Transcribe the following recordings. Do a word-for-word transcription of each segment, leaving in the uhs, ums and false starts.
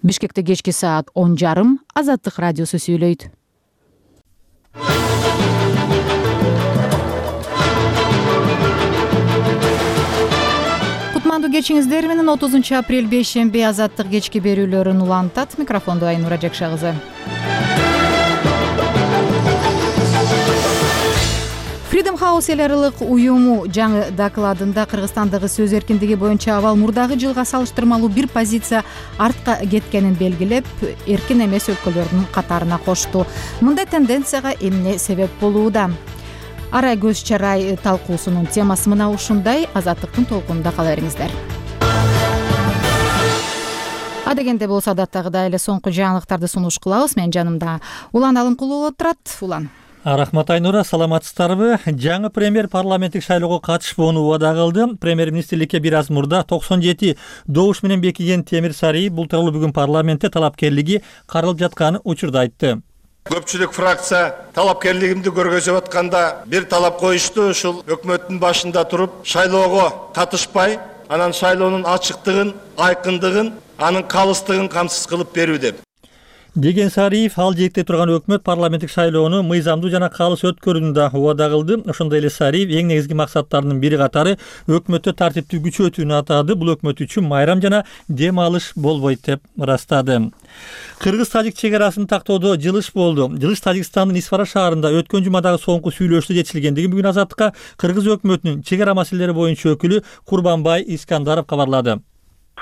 Бишкекте кечки саат он жарым Азаттык радиосу сүйлөйт. Кутмандуу кечиңиздер менен отузунчу апрель бейшемби Азаттык кечки берүүлөрүн улантат. Микрофондо Айнура Жакшагызы. Freedom House эл аралык уюму жаңы докладында Кыргызстандагы сөз эркиндиги боюнча абал мурдагы жылга салыштырмалуу бир позиция артка кеткенин белгилеп, эркин эмес өлкөлөрдүн катарына кошту. Мындай тенденцияга эмне себеп болууда? Арай көз чарай талкуусунун темасы мына ушундай. Азаттыктын толкунунда кала бериңиздер. Адегенде болсо адаттагыдай эле соңку жаңылыктарды сунуш кылабыз. Мен жанымда Улан Алымкулуу отурат. Улан. Рахмат Айнура, саламатсыздарбы? Жаңы премьер парламенттик шайлоого катышпоону убада кылды. Премьер-министрликке бир аз мурда токсон жети добуш менен бекиген Темир Сариев бул тууралуу бүгүн парламентте талапкерлиги каралып жатканын учурда айтты. Көпчүлүк фракция талапкерлигимди көргөзүп атканда бир талап коюшту, ушул өкмөттүн башында туруп шайлоого катышпай, анан шайлоонун ачыктыгын, айкындыгын, анын калыстыгын камсыз кылып берүү деп. Деген Сариев ал жетте турган өкмөт парламенттик шайлоону мыйзамдуу жана калыс өткөрүүнү да убада кылды. Ошондой эле Сариев эң негизги максаттарынын бири катары өкмөттө тартипти күчөтүүнү атады. Бул өкмөт үчүн майрам жана дем алыш болбойт деп ырастады. Кыргыз-тажик чек арасын тактоодо жылыш болду. Жылыш Тажикстандын Исфара шаарында өткөн жумадагы соңку сүйлөшүүдө жетишилгендигин бүгүн Азаттыкка Кыргыз өкмөтүнүн чек ара маселелери боюнча өкүлү Курбанбай Искандаров кабарлады.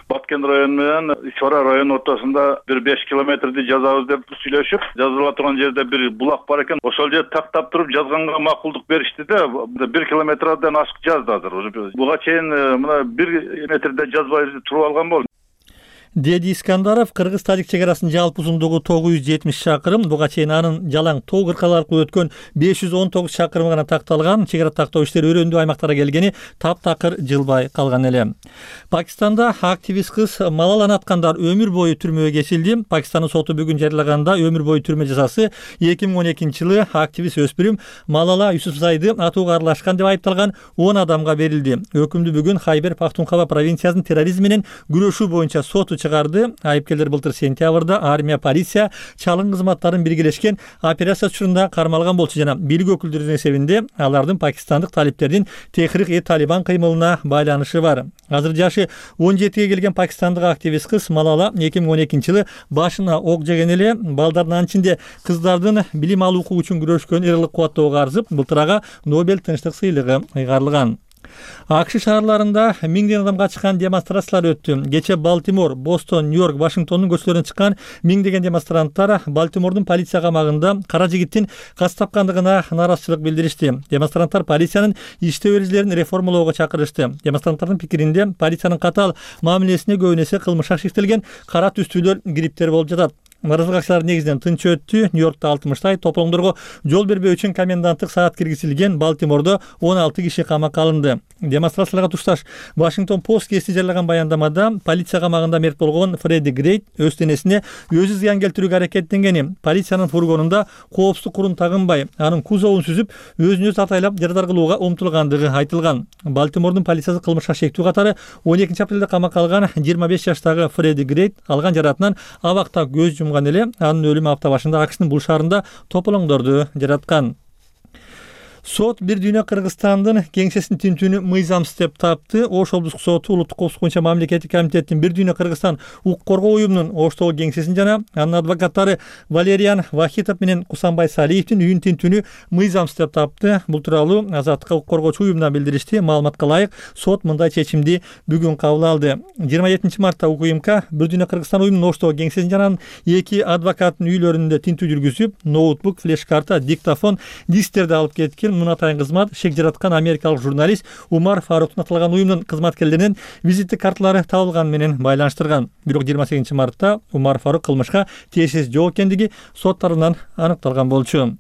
Баткен району менен Исфара районунун ортосунда бир беш километрди жазабыз деп сүйлөшүп, жазыла турган жерде бир булак бар экен. Ошол жерди тактап туруп жазганга макулдук беришти да, бир километрден ашык жазды азыр. Буга чейин мына бир метрде жазбай туруп алган болду. Деди Искандаров, Кыргыз-тажик чек арасынын жалпы узундугу тогуз жүз жетимиш чакырым, буга чейин анын жалаң тоо кыркалар аркылуу өткөн беш жүз он тогуз чакырымы гана такталган. Чек ара тактоо иштери өрөөндүү аймактарга келгени таптакыр жылбай калган эле. Пакистанда активист кыз Малаланы аткандар өмүр бою түрмөгө кесилди. Пакистандын соту бүгүн жарыялаганда өмүр бою түрмө жазасы эки миң он экинчи жылы активист өспүрүм Малала Юсуфзайды атууга аралашкан деп айыпталган он адамга берилди. Өкүмдү бүгүн Хайбер Пахтунхва провинциясынын терроризм менен күрөшүү боюнча соту чыгарды. Айыпкерлер былтыр сентябрда армия, полиция, чалым кызматтарын биргелешкен операция учурунда кармалган болчу жана бийлик өкүлдөрүнүн эсебинде алардын пакистандык талиптердин Техрик-и-Талибан кыймылына байланышы бар. Азыр жашы он жетиге келген пакистандык активист кыз Малала эки миң он экинчи жылы башына ок жеген эле. Балдардын ичинде кыздардын билим алуу укугу үчүн күрөшкөн эрлик кубаттоого арзып, былтыр ага Нобель тынчтык сыйлыгы ыйгарылган. АКШ шаарларында миңден адамга чыккан демонстрациялар өттү. Кече Балтимор, Бостон, Нью-Йорк, Вашингтондун көчөлөрүнө чыккан миңдеген демонстранттар Балтимордун полиция камагында кара жигиттин каз тапкандыгына нааразычылык билдиришти. Демонстранттар полициянын иштөө эрежелерин реформалоого чакырышты. Демонстранттардын пикиринде полициянын катаал мамилесине көбүн эсе кылмыш шектелген кара түстүүлөр кириптер болуп жатат. Наразылык акчалар негизинен тынч өттү. Нью-Йоркто алтымыштай, тополоңдорго жол бербөө үчүн коменданттык саат киргизилген. Балтимордо он алты киши камакка алынды. Демонстрацияларга тушташ Вашингтон Пост кести жарыялаган баяндамада полиция камагында мерт болгон Фредди Грейт өз денесине өзү зыян келтирүүгө аракеттенгени, полициянын фургонунда коопсуздук курун тагынбай, анын кузовун сүзүп, өзүн өзү атайлап жарадар кылууга умтулгандыгы айтылган. Балтимордун полициясы кылмышка шектүү катары он экинчи апрелде камакка алган жыйырма беш жаштагы Фредди Грейт алган жаратынан абакта көз жумган эле. Анын өлүмү апта башында АКШнын бул шаарында тополоңдорду жараткан. Сот бир дүйнө Кыргызстандын кеңсесин тинтүүнү мыйзамсыз деп тапты. Ош облустук соту улуттук коопсуздук боюнча мамлекеттик комитеттин бир дүйнө Кыргызстан укук коргоо уюмунун Оштогу кеңсесин жана анын адвокаттары Валериан Вахитов менен Кусанбай Салиевдин үйүн тинтүүнү мыйзамсыз деп тапты. Бул тууралуу Азаттыкка укук коргоочу уюмдан билдиришти. Маалыматка ылайык, сот мындай чечимди бүгүн кабыл алды. жыйырма жетинчи мартта УКМК бир дүйнө Кыргызстан уюмунун Оштогу кеңсесин жана эки адвокаттын үйлөрүндө тинтүү жүргүзүп, ноутбук, флеш-карта, диктофон, дисктерди алып кеткен. Муну атайын кызмат шек жараткан америкалык журналист Умар Фаруктун аталган уюмдун кызматкерлеринин визиттик карталары табылган менен байланыштырган. Бирок жыйырма сегизинчи мартта Умар Фарук кылмышка тиешеси жок экендиги сот тарабынан аныкталган болчу.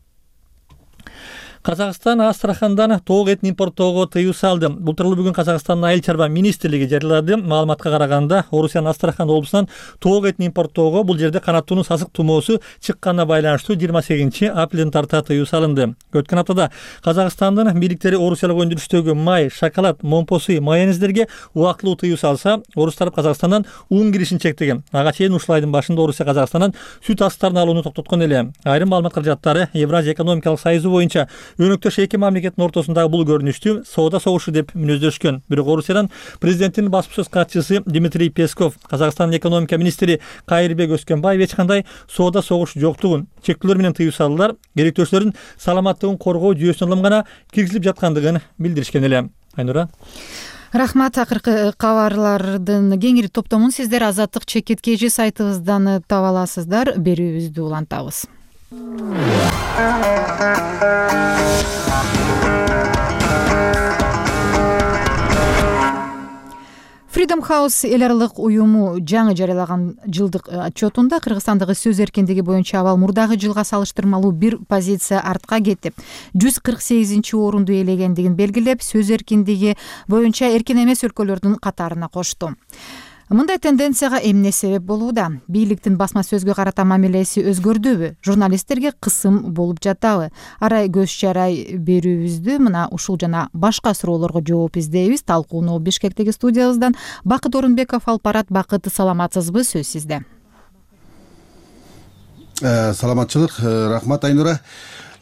Казакстан Астрахандан тоок этин импорттоого тыюу салды. Бул тууралуу бүгүн Казакстандын айыл чарба министрлиги жарыялады. Маалыматка караганда, Орусиянын Астрахан облусунан тоок этин импорттоого бул жерде канаттууну сасык тумоосу чыкканына байланыштуу жыйырма сегизинчи апрелден тарта тыюу салынды. Өткөн аптада Казакстандын бийликтери орусиялык өндүрүштөгү май, шоколад, момпосуй, майонездерге убактылуу тыюу салса, орус тарап Казакстандан ун киришин чектеген. Ага чейин ушул айдын башында Орусия Казакстандан сүт астарын алууну токтоткон эле. Айрым маалымат каражаттары Евразия экономикалык союзу боюнча өнөктөш эки мамлекеттин ортосундагы бул көрүнүштү соода согушу деп мүнөздөшкөн. Бирок Орусиядан президенттин басма сөз катчысы Дмитрий Песков, Казакстандын экономика министри Кайырбек Өскөнбаев эч кандай соода согуш жоктугун, чектөөлөр менен тыюу салуулар керектөөчүлөрдүн саламаттыгын коргоо жүйөсүнө улам гана киргизилип жаткандыгын билдиришкен эле. Айнура. Рахмат. Акыркы кабарлардын кеңири топтомун сиздер Азаттык чекит кж сайтыбыздан таба аласыздар. Берүүбүздү улантабыз. Freedom House эл аралык уюму жаңы жарыялаган жылдык отчетунда Кыргызстандагы сөз эркиндиги боюнча абал мурдагы жылга салыштырмалуу бир позиция артка кетип, жүз кырк сегизинчи орунду ээлегендигин белгилеп, сөз эркиндиги боюнча эркин эмес өлкөлөрдүн катарына кошту. Мындай тенденцияга эмне себеп болууда? Бийликтин басма сөзгө карата мамилеси өзгөрдүбү? Журналисттерге кысым болуп жатабы? Арай көз чарай берүүбүздү мына ушул жана башка суроолорго жооп издейбиз. Талкууну Бишкектеги студиябыздан Бакыт Орунбеков алып барат. Бакыт, саламатсызбы? Сөз сизде. Саламатчылык. Рахмат, Айнура.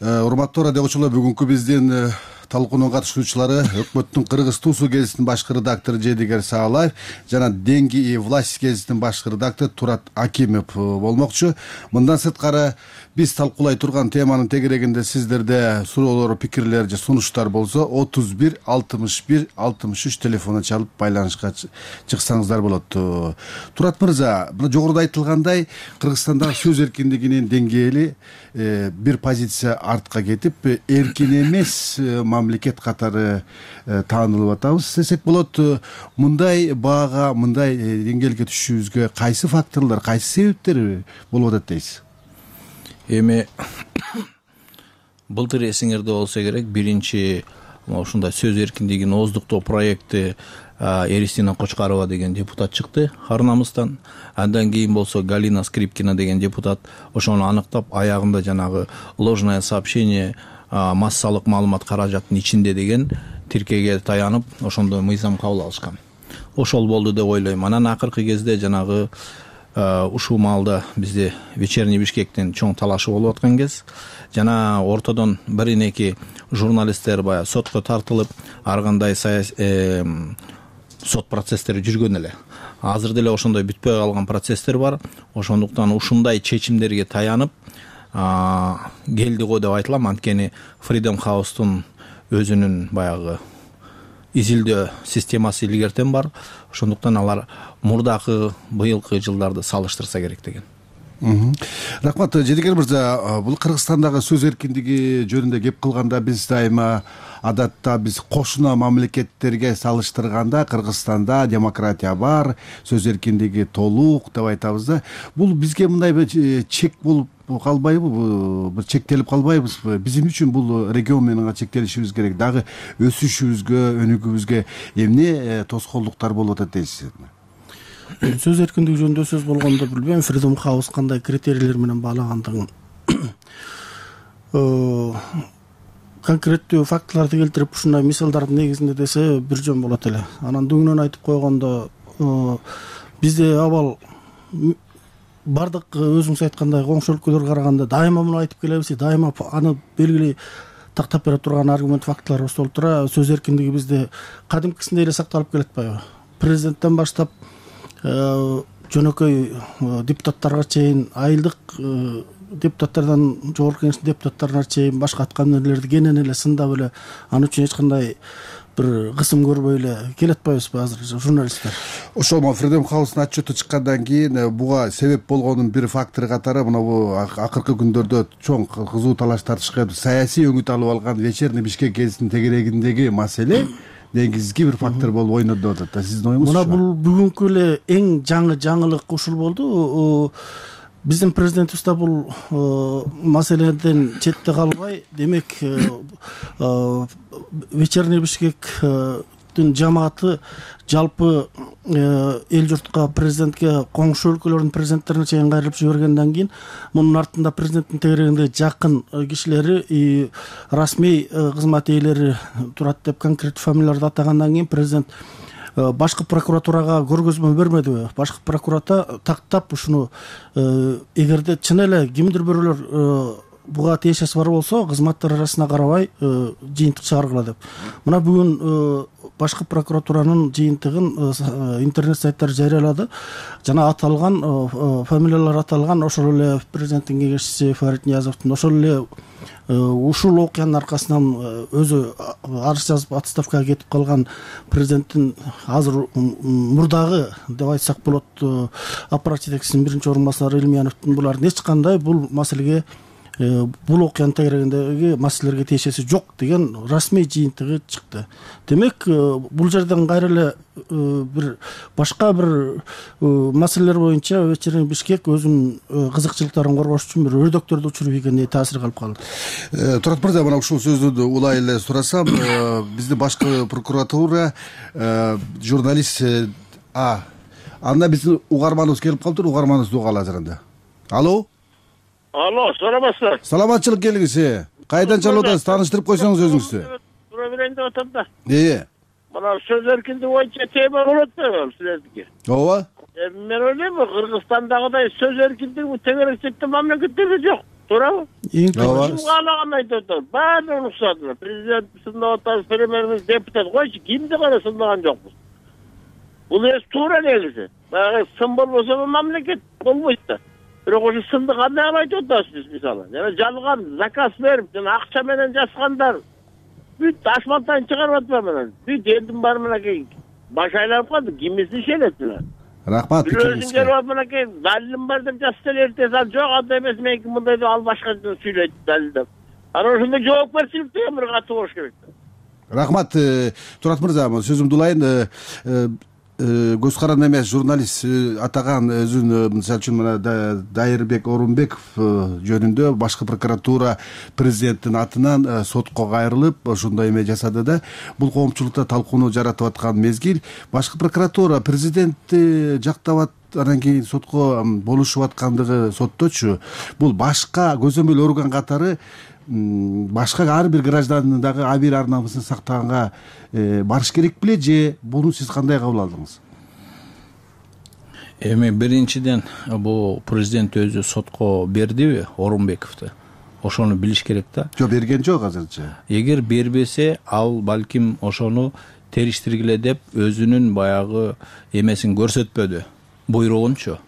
Урматтуу радиочулар, бүгүнкү биздин талкуунун катышуучулары өкмөттүн Кыргыз Туусу гезитинин башкы редактору Жедигер Саалаев жана Деньги и власть гезитинин башкы редактору Турат Акимов болмокчу. Мындан сырткары биз талкуулай турган теманын тегерегинде сиздерде суроолор, пикирлер же сунуштар болсо отуз бир алтымыш бир алтымыш үч телефону чалып байланышка чыксаңыздар болот. Турат мырза, мына жогоруда айтылгандай, Кыргызстандагы сөз эркиндигинин деңгээли бир позиция артка кетип, эркин эмес мамлекет катары таанылып атабыз десек болот. Мындай баага, мындай деңгээлге түшүүбүзгө кайсы факторлор, кайсы себептер болуп атат дейсиз? Эми былтыр эсиңерде болсо керек, биринчи ушундай сөз эркиндигин ооздуктоо проекти Эристина Кочкарова деген депутат чыкты Харнамыстан. Андан кийин болсо Галина Скрипкина деген депутат ошону аныктап, аягында жанагы ложное сообщение массалык маалымат каражаттын ичинде деген тиркеге таянып, ошондой мыйзам кабыл алышкан. Ошол болду деп ойлойм. Анан акыркы кезде жанагы ушул маалда бизде вечерний Бишкектин чоң талашы болуп аткан кез, жана ортодон биринеки журналисттер баягы сотко тартылып, ар кандай сот процесстери жүргөн эле. Азыр деле ошондой бүтпөй калган процесстер бар. Ошондуктан ушундай чечимдерге таянып келди го деп айтылам. Анткени Freedom House'тун өзүнүн баягы изилдөө системасы илгертен бар. Ошондуктан алар мурдакы быйылкы жылдарды салыштырса керек деген. Рахмат. Жедигер мырза, бул Кыргызстандагы сөз эркиндиги жөнүндө кеп кылганда биз дайыма адатта биз кошуна мамлекеттерге салыштырганда Кыргызстанда демократия бар, сөз эркиндиги толук деп айтабыз да. Бул бизге мындай бир чек болуп калбайбы, бир чектелип калбайбызбы? Биздин үчүн бул регион менен чектелишибиз керек. Дагы өсүшүбүзгө, өнүгүүбүзгө эмне тоскоолдуктар болуп атат дейсиз? Сөз эркиндиги жөнүндө сөз болгондо билбейм, Freedom House кандай критерийлер менен баалагандыгын. Конкреттүү фактыларды келтирип, ушундай мисалдардын негизинде десе бир жөн болот эле. Анан дөңнөн айтып койгондо, бизде абал бардык өзүңүз айткандай коңшу өлкөлөргө караганда дайыма муну айтып келебиз, дайыма аны белгилей тактап бере турган аргумент, фактыларыбыз болуп тура. Сөз эркиндиги бизде кадимкисиндей эле сакталып келет атпайбы? Президенттен баштап жөнөкөй депутаттарга чейин, айылдык депутаттардан жогорку кеңештин депутаттарына чейин башка аткамнерлерди кенен эле сындап эле, аны үчүн эч кандай бир кысым көрбөй эле келе атпайбызбы азыр журналисттер? Ошол Freedom House'нун отчету чыккандан кийин буга себеп болгонун бир фактор катары мына бу акыркы күндөрдө чоң кызуу талаш тартышка саясий өңүт алып алган вечерний Бишкек гезитинин тегерегиндеги маселе негизги бир фактор болуп ойноду деп атат. Сиздин оюңуз? Мына бул бүгүнкү эле эң жаңы жаңылык ушул болду. биздин президентибиз да бул маселеден четте калбай, демек вечерний Бишкектин жамааты жалпы эл журтка, президентке, коңшу өлкөлөрдүн президенттерине чейин кайрылып жибергенден кийин мунун артында президенттин тегерегинде жакын кишилери и расмий кызмат ээлери турат деп конкреттүү фамилияларды атагандан кийин президент башкы прокуратурага көргөзмө бермедиби? Башкы прокуратура тактап ушуну эгерде чын эле кимдир бирөөлөр буга тиешеси бар болсо кызматтар арасына карабай жыйынтык чыгаргыла деп. Мына бүгүн башкы прокуратуранын жыйынтыгын интернет сайттары жарыялады. Жана аталган фамилиялар аталган ошол эле президенттин кеңешчиси Фарид Ниязовдун, ошол эле ушул окуянын аркасынан өзү арыз жазып отставкага кетип калган президенттин азыр мурдагы деп айтсак болот аппарат жетекчисинин биринчи орун басары Илмияновдун булардын эч кандай бул маселеге бул окуянын тегерегиндеги маселелерге тиешеси жок деген расмий жыйынтыгы чыкты. Демек бул жерден кайра эле бир башка бир маселелер боюнча вечерний Бишкек өзүнүн кызыкчылыктарын коргош үчүн бир өрдөктөрдү учуруп ийгендей таасир калып калды. Турат мырза, мына ушул сөздү улай эле сурасам, биздин башкы прокуратура журналист а анда биздин угарманыбыз келип калыптыр, угарманыбызды угалы азыр анда. Алло. Алло, саламатсызбы? Саламатчылык келиңиз. Кайдан чалып атасыз? Тааныштырып койсоңуз өзүңүздү. Тура берейин деп атам да. Ээ. Мына сөз эркиндиги боюнча тема болот да силердики. Ооба. Мен ойлойм, Кыргызстандагыдай сөз эркиндиги тегеректүү мамлекеттерде жок. Туурабы? Ооба. Ким каалаган айтып атат. Баарын уруксатты. Президент сындап атат, премьер-министр, депутат койчу, кимди гана сындаган жокпуз. Бул эс туура негизи. Баягы сын болбосо мамлекет болбойт да. Бирок ошо сынды кандай кылып айтып атасыз мисалы? Жана жалган заказ берип, жана акча менен жазгандар бүт ашмантайын чыгарып атпайбы менен. Бүт элдин баары менен баш айланып калды. Кимиси ишенет менен. Рахмат. Өзүң келип алып менен далилим бар деп жазса эртең ал жок, андай эмес, меники мындай деп ал башка сүйлөйт далилдеп. Анан ошондой жоопкерчилик деген бир катуу болуш керек. Рахмат. Турат мырза, сөзүмдү улайын. Көз каранды эмес журналист атаган өзүн, мисалы үчүн мына Дайырбек Орунбеков жөнүндө башкы прокуратура президенттин атынан сотко кайрылып ошондой эме жасады да. Бул коомчулукта талкууну жаратып аткан мезгил. Башкы прокуратура президентти жактап анан кийин сотко болушуп аткандыгы сотточу. Бул башка көзөмөл орган катары башка ар бир гражданын дагы абийир ар намысын сактаганга барыш керек беле же буну сиз кандай кабыл алдыңыз? Эми биринчиден бул президент өзү сотко бердиби Орунбековду? Ошону билиш керек да. Жок, берген жок азырча. Эгер бербесе, ал балким ошону териштиргиле деп өзүнүн баягы эмесин көрсөтпөдү, буйругунчу.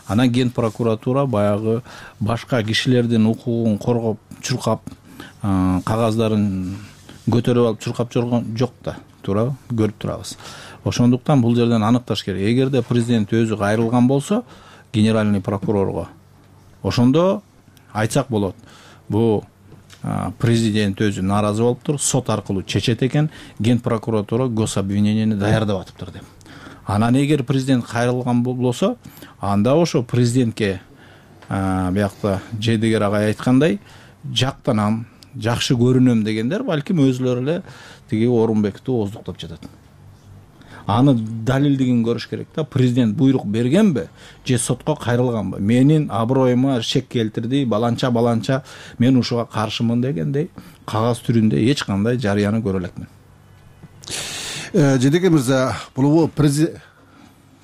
Анан ген прокуратура баягы башка кишилердин укугун коргоп, чуркап, кагаздарын көтөрүп алып чуркап жүргөн жок да, туурабы? Көрүп турабыз. Ошондуктан бул жерден аныкташ керек. Эгерде президент өзү кайрылган болсо генеральный прокурорго, ошондо айтсак болот. Бул президент өзү нааразы болуптур, сот аркылуу чечет экен, ген прокуратура гособвиненияны даярдап атыптыр деп. Анан эгер президент кайрылган болсо, анда ошо президентке биякта Жедигер агай айткандай, жактанам, жакшы көрүнөм дегендер балким өзүлөрү эле тиги Орунбекти ооздуктап жатат. Аны далилдигин көрүш керек да. Президент буйрук бергенби же сотко кайрылганбы? Менин аброюма шек келтирди, баланча баланча мен ушуга каршымын дегендей кагаз түрүндө эч кандай жарыяны көрө элекмин. Жедигер мырза, бул президент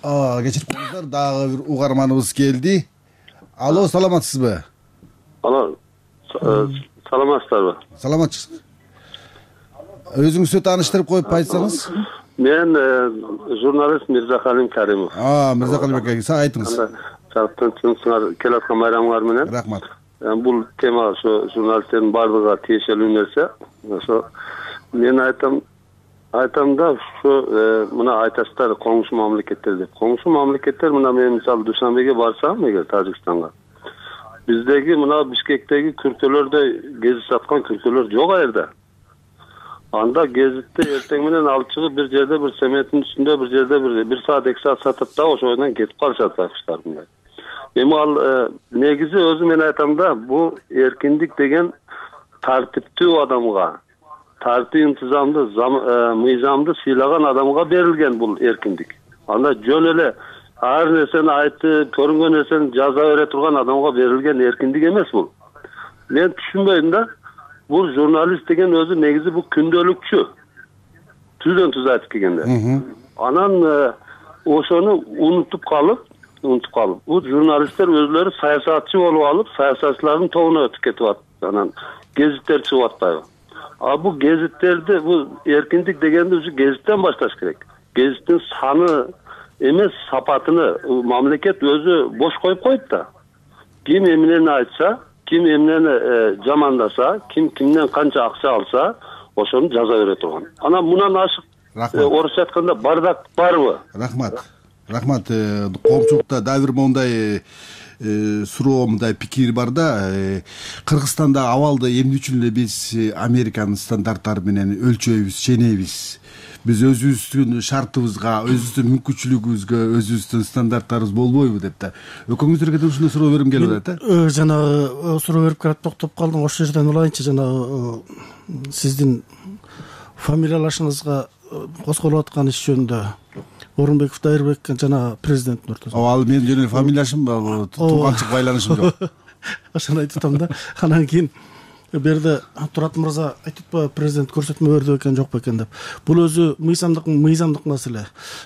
кечирип коюңуздар, дагы бир угарманыбыз келди. Алло, саламатсызбы? Алло, саламатсыздарбы? Саламатчысыз. Өзүңүздү тааныштырып коюп айтсаңыз. Мен журналист Мирзакалим Каримов. А, Мирзакалим ака, айтыңыз. Жактын келе аткан майрамыңар менен. Рахмат. Бул тема ошо журналисттердин баардыгына тиешелүү нерсе. Ошо мен айтам, айтам да ушу мына айтасыздар коңшу мамлекеттер деп. Коңшу мамлекеттер мына мен мисалы Душанбеге барсам, эгер Тажикстанга, биздеги мына Бишкектеги күркөлөрдө кезип саткан күркөлөр жок аерде. Анда гезитти эртең менен алып чыгып бир жерде бир цементтин үстүндө бир жерде бир бир саат эки саат сатып да ошондон кетип калышат акчалар мындай. эми ал негизи өзү мен айтам да, бул эркиндик деген тартиптүү адамга, тартип интизамды, мыйзамды сыйлаган адамга берилген бул эркиндик. Анда жөн эле ар нерсени айтып, көрүнгөн нерсени жаза бере турган адамга берилген эркиндик эмес бул. Мен түшүнбөйм да. Бул журналист деген өзү негизи бул күндөлүкчү. Түздөн түз айтып келгенде. Анан ошону унутуп калып, унутуп калып, бул журналисттер өзлөрү саясатчы болуп алып, саясатчылардын тобуна өтүп кетип атат. Анан гезиттер чыгып атпайбы? А бул гезиттерди, бул эркиндик дегенди уже гезиттен башташ керек. Гезиттин саны эмес, сапатыны мамлекет өзү бош коюп койт да. Ким эмнени айтса, ким эмнени жамандаса, ким кимден канча акча алса, ошону жаза бере турган. Анан мундан ашык орусча айтканда бардак барбы? Рахмат. Рахмат. Коомчулукта дагы бир мондай суроо, мындай пикир бар да. Кыргызстанда абалды эмне үчүн эле биз Американын стандарттары менен өлчөйбүз, ченейбиз? Биз өзүбүздүн шартыбызга, өзүбүздүн мүмкүнчүлүгүбүзгө, өзүбүздүн стандарттарыбыз болбойбу деп да. Экөөңүздөргө да ушундай суроо берим келип атат да. Жанагы суроо берип келип токтоп калдым. Ошол жерден улайынчы, жанагы сиздин фамилиялашыңызга козголуп аткан иш жөнүндө Орунбеков Дайырбек жана президенттин ортосунда. Ал менин жөн эле фамилияшым, тууганчылык байланышым жок. Ошону айтып атам да. Анан кийин берде Турат мырза айтып атпайбы, президент көрсөтмө берди экен, жокпу экен деп. Бул өзү мыйзамдык мыйзамдык маселе.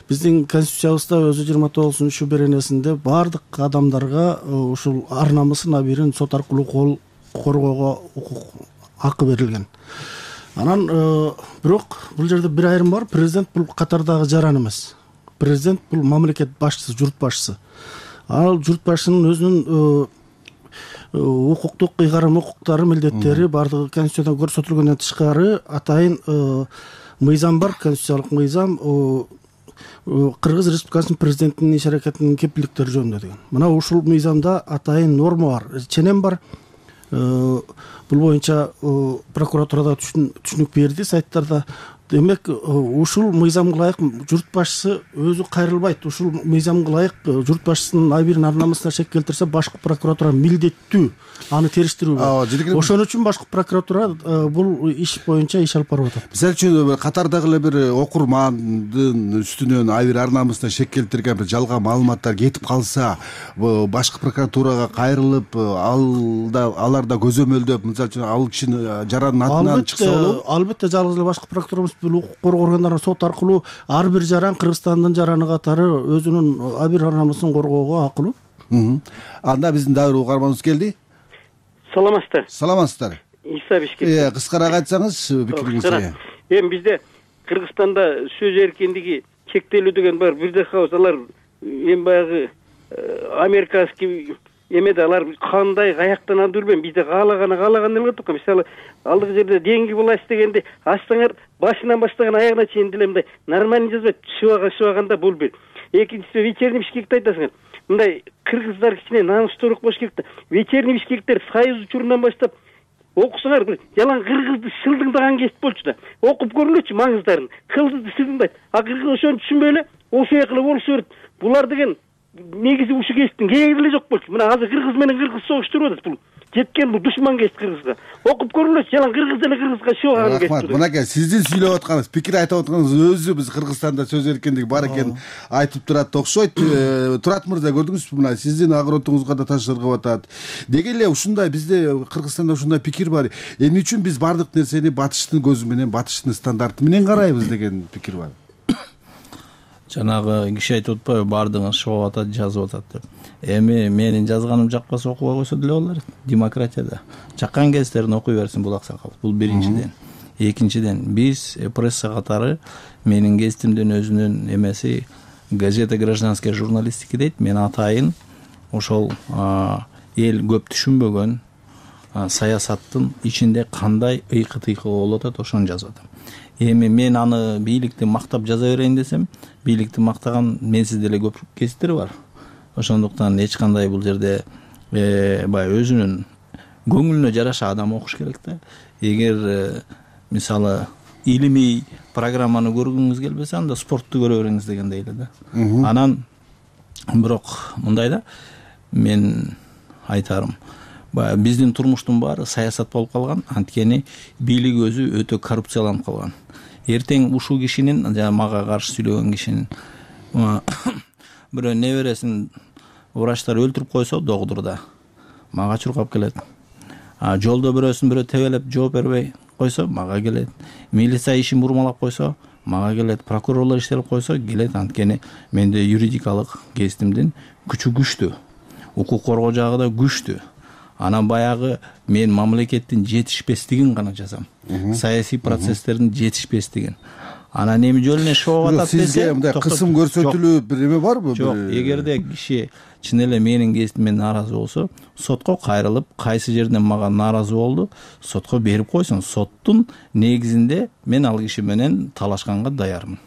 Биздин конституциябызда өзү жыйырма тогузунчу беренесинде бардык адамдарга ушул ар намысын, абийирин сот аркылуу коргоого укук, акы берилген. Анан бирок бул жерде бир айрым бар. Президент бул катардагы жаран эмес. Президент бул мамлекет башчысы, журт башчысы. Ал журт башчынын өзүнүн укуктук ыйгарым, укуктары, милдеттери бардыгы конституцияда көрсөтүлгөндөн тышкары атайын мыйзам бар, конституциялык мыйзам Кыргыз Республикасынын президентинин иш аракетинин кепилдиктери жөнүндө деген. Мына ушул мыйзамда атайын норма бар, ченем бар. Бул боюнча прокуратурада түшүнүк берди сайттарда. Демек, ушул мыйзамга ылайык журт башчысы өзү кайрылбайт. Ушул мыйзамга ылайык журт башчысынын абийирин, ар намысына шек келтирсе, башкы прокуратура милдеттүү аны териштирүү. Ошон үчүн башкы прокуратура бул иш боюнча иш алып барып атат. Мисалы үчүн катардагы эле бир окурмандын үстүнөн абийир, ар намысына шек келтирген бир жалган маалыматтар кетип калса, башкы прокуратурага кайрылып, алар да көзөмөлдөп, мисалы үчүн ал кишинин жарандын атынан чыкса болобу? Албетте, жалгыз эле башкы прокуратура бул укук коргоо органдары сот аркылуу ар бир жаран Кыргызстандын жараны катары өзүнүн абийир, ар намысын коргоого акылуу. Анда биздин дагы бир угарманыбыз келди. Саламатсыздар. Саламатсыздар. Иса Бишкек. Э, кыскараак айтсаңыз пикириңизди. Эми бизде Кыргызстанда сөз эркиндиги чектелүү деген бар. Бирде хаус алар эми баягы американский эмеде алар кандай каяктан алып жүрбөйм, бизде каалаганы каалаган эле турат. Мисалы, алдыгы жерде деньги власть дегенде ачсаңар башынан баштаган аягына чейин деле мындай нормально жазбайт. Шыбага шыбаганда бул бир. Экинчиси вечерний Бишкекти айтасыңар. Мындай кыргыздар кичине намыстуураак болуш керек да. Вечерний Бишкектер союз учурунан баштап окусаңар, бир жалаң кыргызды шылдыңдаган кесип болчу да. Окуп көрүлөчү маңыздарын. Кылдызды шылдыңдайт. А кыргыз ошону түшүнбөй эле ошой кылып болушу берет. Булар деген негизи ушул кесиптин кереги эле жок болчу. Мына азыр кыргыз менен кыргыз согуштуруп атат бул. Жеткен бул душман кесип кыргызга. Окуп көрүлөчү, жалаң кыргыз деле кыргызга шыбаган кесип. Рахмат. Мынакей сиздин сүйлөп атканыңыз, пикир айтып атканыңыз өзү биз Кыргызстанда сөз эркиндиги бар экенин айтып турат окшойт. Турат мырза, көрдүңүзбү, мына сиздин огородуңузга да таш ыргып атат. Деги эле ушундай бизде Кыргызстанда ушундай пикир бар. Эмне үчүн биз бардык нерсени батыштын көзү менен, батыштын стандарты менен карайбыз деген пикир бар. Жанагы киши айтып атпайбы, бардыгын шыбап атат, жазып атат деп. Эми менин жазганым жакпаса окуга койсо деле болор. Демократияда жаккан кездерин окуй берсин бул аксакал. Бул биринчиден. Экинчиден, биз пресса катары менин кезитимдин өзүнүн эмеси газета гражданская журналистика дейт. Мен атайын ошол эл көп түшүнбөгөн саясаттын ичинде кандай ыйкы-тыйкы болуп атат, ошону жазып атам. Эми мен аны бийликти мактап жаза берейин десем, бийликти мактаган менсиз деле көп кесиптер бар. Ошондуктан эч кандай бул жерде баягы өзүнүн көңүлүнө жараша адам окуш керек да. Эгер мисалы илимий программаны көргүңүз келбесе, анда спортту көрө бериңиз дегендей эле да. Анан бирок мындай да, мен айтарым баягы биздин турмуштун баары саясат болуп калган, анткени бийлик өзү өтө коррупцияланып калган. Эртең ушул кишинин жана мага каршы сүйлөгөн кишинин бирөө небересин врачтар өлтүрүп койсо догдурда мага чуркап келет. А жолдо бирөөсүн бирөө тебелеп жооп бербей койсо мага келет. Милиция ишин бурмалап койсо мага келет. Прокурорлор иштелип койсо келет, анткени менде юридикалык кездимдин күчү күчтүү. Укук коргоо жагы да күчтүү. Анан баягы мен мамлекеттин жетишпестигин гана жазам. Саясий процесстердин жетишпестигин. Анан эми жол эле шоу атат десе, сизге мындай кысым көрсөтүлүү бир эме барбы? Жок, эгерде киши чын эле менин кезимден нааразы болсо, сотко кайрылып, кайсы жерден мага нааразы болду, сотко берип койсун. Соттун негизинде мен ал киши менен талашканга даярмын.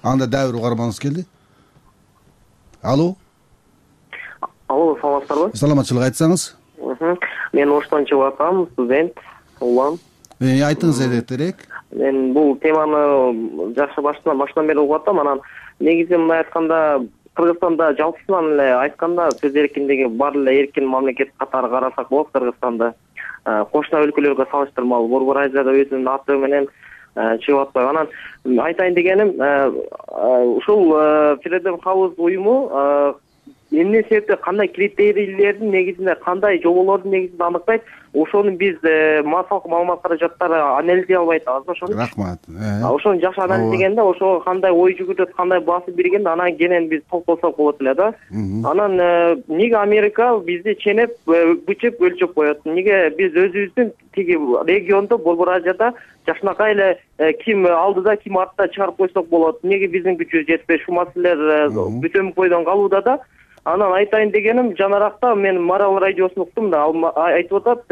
Анда дагы бир угарманыбыз келди. Алло. Алло, саламатсыздарбы? Саламатчылык айтсаңыз. Мен Оштон чыгып атам, студент, улам. Э, айтыңыз эртерээк. Мен бул теманы жакшы баштан баштан бери угуп атам. Анан негизи мындай айтканда, Кыргызстанда жалпысынан эле айтканда сөз эркиндиги бар эле эркин мамлекет катары карасак болот. Кыргызстанда кошуна өлкөлөргө салыштырмалуу Борбор Азияда өзүнүн аты менен чыгып атпайбы. Анан айтайын дегеним, ушул Freedom House уюму эмне себептен, кандай критерийлердин негизинде, кандай жоболордун негизинде аныктайт, ошону биз массалык маалымат каражаттары анализдей албай атабыз. Ошону рахмат. Ошону жакшы анализдегенде, ошого кандай ой жүгүрөт, кандай басып бергенде анан кенен биз токтолсок болот эле да. Анан эмнеге Америка бизди ченеп, бычып, өлчөп коет? Эмнеге биз өзүбүздүн тиги региондо, Борбор Азияда жакшынакай эле ким алдыда, ким артта чыгарып койсок болот? Эмнеге биздин күчүбүз жетпей, ушул маселелер бүтөмүк бойдон калууда да. Анан айтайын дегеним, жанаракта мен Марал радиосун уктум да, айтып атат,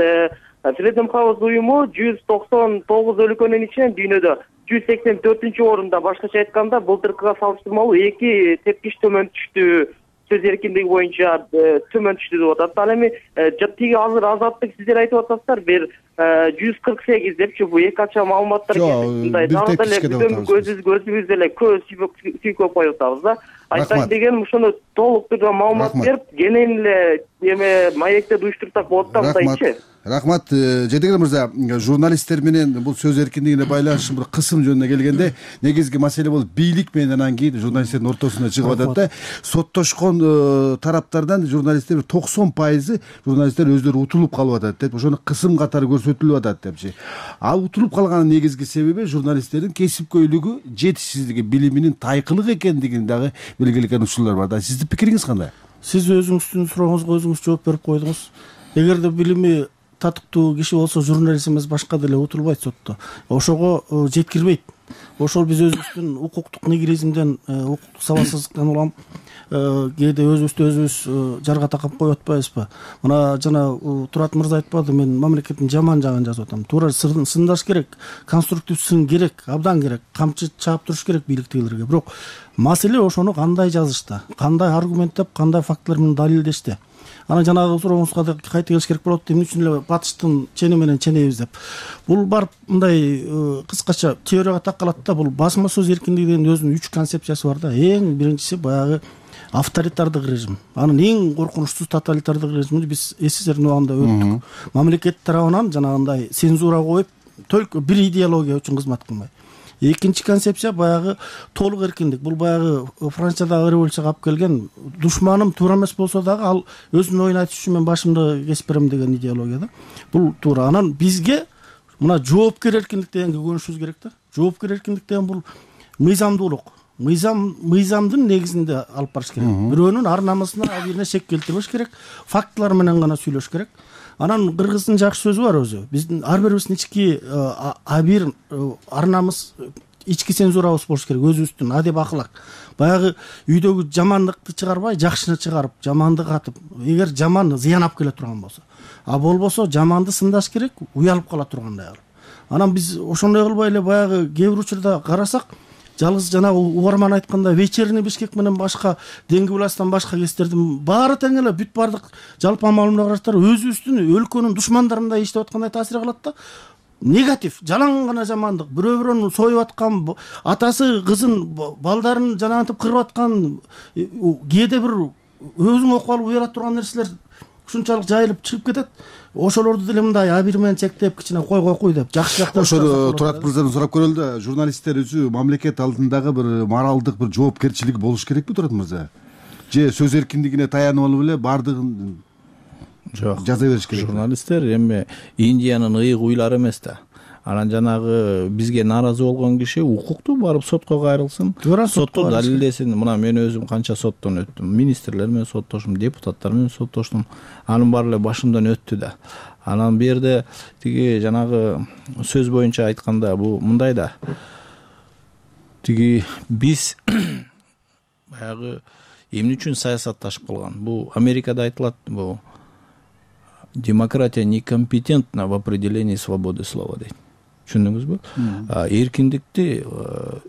Freedom House уюму жүз токсон тогуз өлкөнүн ичинен дүйнөдө жүз сексен төртүнчү орунда, башкача айтканда, былтыркыга салыштырмалуу эки тепкич төмөн түштү, сөз эркиндиги боюнча төмөн түштү деп атат. Ал эми тиги азыр Азаттык сиздер айтып атасыздар, бир жүз кырк сегиз депчи, бул эки ача маалыматтар мындай дагы деле бүтөмүк өзүбүз деле көп сүйкөп коюп атабыз да. Айтайын дегеним, ушуну толук түрдө маалымат берип, кенен эле эме маектерди уюштурсак болот да, мындайчы. Рахмат. Жетегер мырза, журналисттер менен бул сөз эркиндигине байланыштуу бир кысым жөнүнө келгенде, негизги маселе бул бийлик менен анан кийин журналисттердин ортосунда чыгып атат да. Соттошкон тараптардан журналисттер токсон пайызы журналисттер өздөрү утулуп калып атат деп, ошону кысым катары көрсөтүлүп атат депчи. Ал утулуп калганын негизги себеби журналисттердин кесипкөйлүгү, жетишсиздиги, билиминин тайкылык экендигин дагы белгилеген учурлар бар да. Сиздин пикириңиз кандай? Сиз өзүңүздүн сурооңузга өзүңүз жооп берип койдуңуз. Эгерде билими татыктуу киши болсо, журналист эмес башка деле утулбайт сотто. Ошого жеткирбейт. Ошол биз өзүбүздүн укуктук нигилизмден, укуктук сабатсыздыктан улам кээде өзүбүздү өзүбүз жарга такап коюп атпайбызбы? Мына жана Турат мырза айтпады, мен мамлекеттин жаман жагын жазып атам. Туура сындаш керек, конструктив сын керек, абдан керек, камчы чаап туруш керек бийликтегилерге. Бирок маселе ошону кандай жазышта, кандай аргументтеп, кандай фактылар менен далилдеште. Анан жанагы сурооңузга кайта келиш керек болот. Эмне үчүн эле батыштын чени менен ченебиз деп. Бул барып мындай кыскача теорияга такалат да. Бул басма сөз эркиндигинин өзүнүн үч концепциясы бар да. Эң биринчиси баягы авторитардык режим. Анын эң коркунучсуз тоталитардык режимди биз СССРдин убагында өттүк. Мамлекет тарабынан жанагындай цензура коюп, только бир идеология үчүн кызмат кылмай. Экинчи концепция баягы толук эркиндик. Бул баягы Франциядагы революцияга алып келген, душманым туура эмес болсо дагы ал өзүнүн оюн айтыш үчүн мен башымды кесип берем деген идеология да. Бул туура. Анан бизге мына жоопкер эркиндик дегенге көнүшүбүз керек да. Жоопкер эркиндик деген бул мыйзамдуулук. Мыйзам мыйзамдын негизинде алып барыш керек. Бирөөнүн ар намысына, абийирине шек келтирбеш керек. Фактылар менен гана сүйлөш керек. Анан кыргыздын жакшы сөзү бар өзү. Биздин ар бирибиздин ички абийир ар намыс, ички цензурабыз болуш керек, өзүбүздүн адеп акылак. Баягы үйдөгү жамандыкты чыгарбай, жакшыны чыгарып, жаманды катып, эгер жаман зыян алып келе турган болсо, а болбосо жаманды сындаш керек, уялып кала тургандай кылып. Анан биз ошондой кылбай эле баягы кээ бир учурда карасак, жалгыз жанагы угарман айткандай вечерний Бишкек менен башка Деңги власттан башка кестердин баары тең эле бүт бардык жалпы маалымат караштар өзүбүздүн өлкөнүн душмандарындай иштеп аткандай таасир кылат да. Негатив, жалаң гана жамандык, бирөө бирөөнү союп аткан, атасы кызын, балдарын жанагынтип кырып аткан, кээде бир өзүң окуп алып уяра турган нерселер ушунчалык жайылып чыгып кетет. Ошолорду деле мындай а бир менен чектеп кичине койгой куй деп жакшы жактан ошо Турат мырзадан сурап көрөлү да, журналисттер өзү мамлекет алдындагы бир моралдык бир жоопкерчилиги болуш керекпи Турат мырза? Же сөз эркиндигине таянып алып эле баардыгын жок жаза бериш керек? Журналисттер эми Индиянын ыйык уйлары эмес да. Анан жанагы бизге нааразы болгон киши укуктуу барып сотко кайрылсын, сотто далилдесин. Мына мен өзүм канча соттон өттүм, министрлер менен соттоштум, депутаттар менен соттоштум. Анын баары эле башымдан өттү да. Анан бу жерде тиги жанагы сөз боюнча айтканда бул мындай да. Тиги биз баягы эмне үчүн саясатташып калган? Бул Америкада айтылат, бул демократия некомпетентна в определении свободы слова дейт. Түшүндүңүзбү? Эркиндикти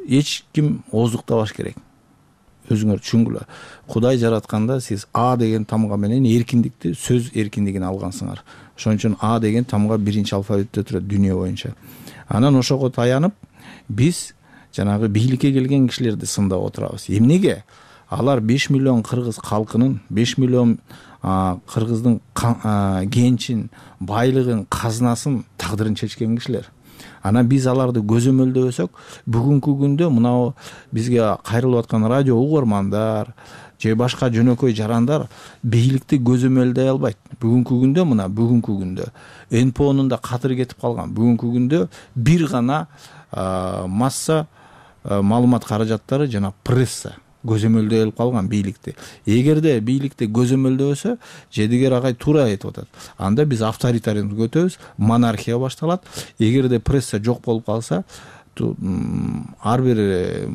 эч ким ооздуктабаш керек. Өзүңөр түшүнгүлө. Кудай жаратканда сиз А деген тамга менен эркиндикти, сөз эркиндигин алгансыңар. Ошон үчүн А деген тамга биринчи алфавитте турат дүйнө боюнча. Анан ошого таянып биз жанагы бийликке келген кишилерди сындап отурабыз. Эмнеге? Алар беш миллион кыргыз калкынын, беш миллион кыргыздын кенчин, байлыгын, казынасын, тагдырын чечкен кишилер. Анан биз аларды көзөмөлдөбөсөк, бүгүнкү күндө мынау бизге кайрылып аткан радио угармандар же башка жөнөкөй жарандар бийликти көзөмөлдөй албайт. Бүгүнкү күндө мына бүгүнкү күндө эн пэ онун да катыры кетип калган. Бүгүнкү күндө бир гана масса маалымат каражаттары жана пресса көзөмөлдөй алып калган бийликти. Эгерде бийликти көзөмөлдөбөсө, Жедигер агай туура айтып атат. Анда биз авторитаризмге өтөбүз, монархия башталат. Эгерде пресса жок болуп калса, ар бир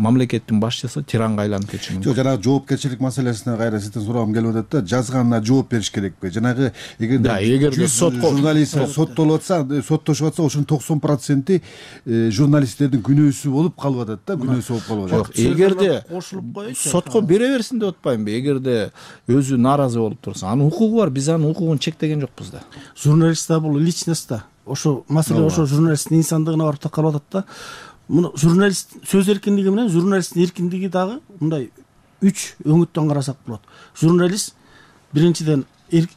мамлекеттин башчысы тиранга айланып кетиши мүмкүн. Жок, жанагы жоопкерчилик маселесине кайра сизден сурагым келип атат да, жазганына жооп бериш керекпи? Жанагы эгерде журналист соттолуп атса, соттошуп атса, ошонун токсон проценти журналисттердин күнөөсү болуп калып атат да, күнөөсү болуп калып атат. Жок, эгерде сотко бере берсин деп атпаймынбы? Эгерде өзү нааразы болуп турса, анын укугу бар, биз анын укугун чектеген жокпуз да. Журналист да бул личность да. Ошо маселе ошо журналисттин инсандыгына барып такалып атат да. Муну журналист сөз эркиндиги менен журналисттин эркиндиги дагы мындай үч өңүттөн карасак болот. Журналист биринчиден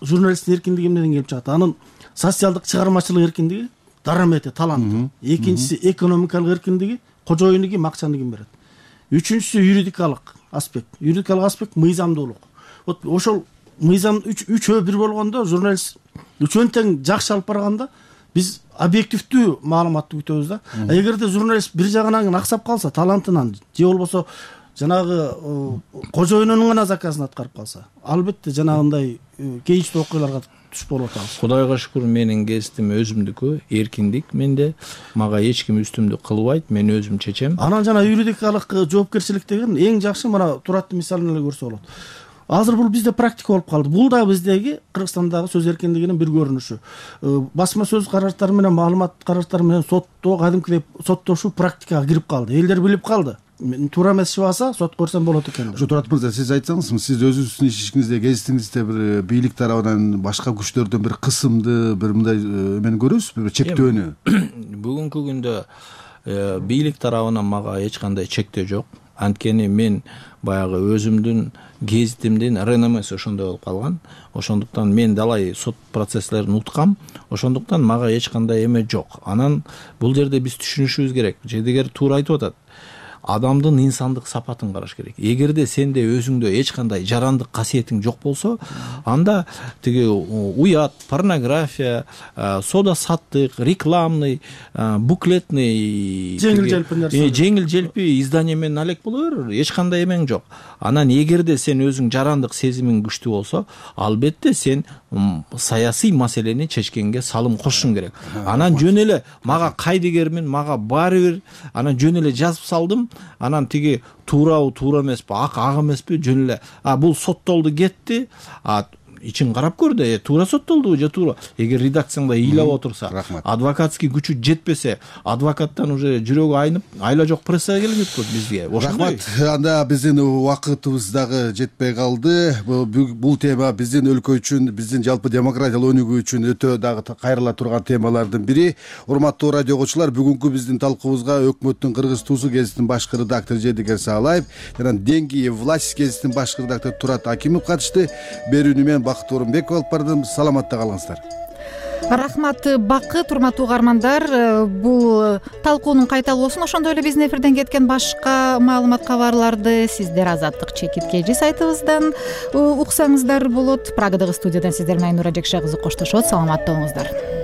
журналисттин эркиндиги менен келип чыгат. Анын социалдык чыгармачылык эркиндиги, дарамети, таланты. Экинчиси экономикалык эркиндиги, кожоюндуги, макчандыгын берет. Үчүнчүсү юридикалык аспект. Юридикалык аспект мыйзамдуулук. Вот ошол мыйзам үчөө бир болгондо журналист үчөөнү тең жакшы алып барганда биз объективдүү маалыматты күтөбүз да. Эгерде журналист бир жагынан аксап калса, талантынан же болбосо жанагы кожоюнунун гана заказын аткарып калса, албетте жанагындай кейичтүү окуяларга туш болуп атабыз. Кудайга шүкүр, менин кесибим өзүмдүкү, эркиндик менде. Мага эч ким үстүмдүк кылбайт, мен өзүм чечем. Анан жана юридикалык жоопкерчилик деген эң жакшы мына Тураттын мисалын эле көрсө болот. Азыр бул бизде практика болуп калды. Бул да биздеги Кыргызстандагы сөз эркиндигинин бир көрүнүшү. Басма сөз каражаттары менен, маалымат каражаттары менен сотто кадимкидей соттошуу практикага кирип калды. Элдер билип калды. Туура эмес чыгаса сот көрсөм болот экен. Ошо Турат мырза, сиз айтсаңызбы, сиз өзүңүздүн ишиңизде, гезитиңизде бир бийлик тарабынан, башка күчтөрдөн бир кысымды, бир мындай эмени көрөсүзбү, бир чектөөнү? Бүгүнкү күндө бийлик тарабынан мага эч кандай чектөө жок. Анткени мен баягы өзүмдүн гезитимдин реномеси ошондой болуп калган. Ошондуктан мен далай сот процесслерин уткам. Ошондуктан мага эч кандай эме жок. Анан бул жерде биз түшүнүшүбүз керек. Жедигер туура айтып атат. Адамдын инсандык сапатын караш керек. Эгерде сенде өзүңдө эч кандай жарандык касиетиң жок болсо, анда тиги уят, порнография, сода саттык, рекламный, буклетный, жеңил желпи нерсе, жеңил желпи издание менен алек боло бер, эч кандай эмең жок. Анан эгерде сен өзүң жарандык сезимиң күчтүү болсо, албетте сен саясий маселени чечкенге салым кошушуң керек. Анан жөн эле мага кайдыгермин, мага баары бир, анан жөн эле жазып салдым. Анан тиги туурабы, туура эмеспи, ак ак эмеспи, жөн эле а бул соттолду кетти. А ичин карап көр да, туура соттолдубу же туура. Эгер редакцияңда ыйлап отурса, адвокатский күчү жетпесе, адвокаттан уже жүрөгү айнып, айла жок прессага келбейт го бизге. Рахмат. Анда биздин убакытыбыз дагы жетпей калды. Бул тема биздин өлкө үчүн, биздин жалпы демократиялык өнүгүү үчүн өтө дагы кайрыла турган темалардын бири. Урматтуу радио окуучулар, бүгүнкү биздин талкуубузга өкмөттүн кыргыз туусу гезитинин башкы редактору Жэдигер Саалаев жана Денги власть гезитинин башкы редактору Турат Акимов катышты. Берүүнү мен Бакыт Орунбеков алып бардым. Саламатта калыңыздар. Рахмат Бакыт, урматтуу угармандар. Бул талкуунун кайталоосун, ошондой эле биздин эфирден кеткен башка маалымат кабарларды сиздер Азаттык чекиткеji сайтыбыздан уксаңыздар болот. Прагадагы студиядан сиздер менен Айнура Жекша кызы коштошот. Саламатта болуңуздар.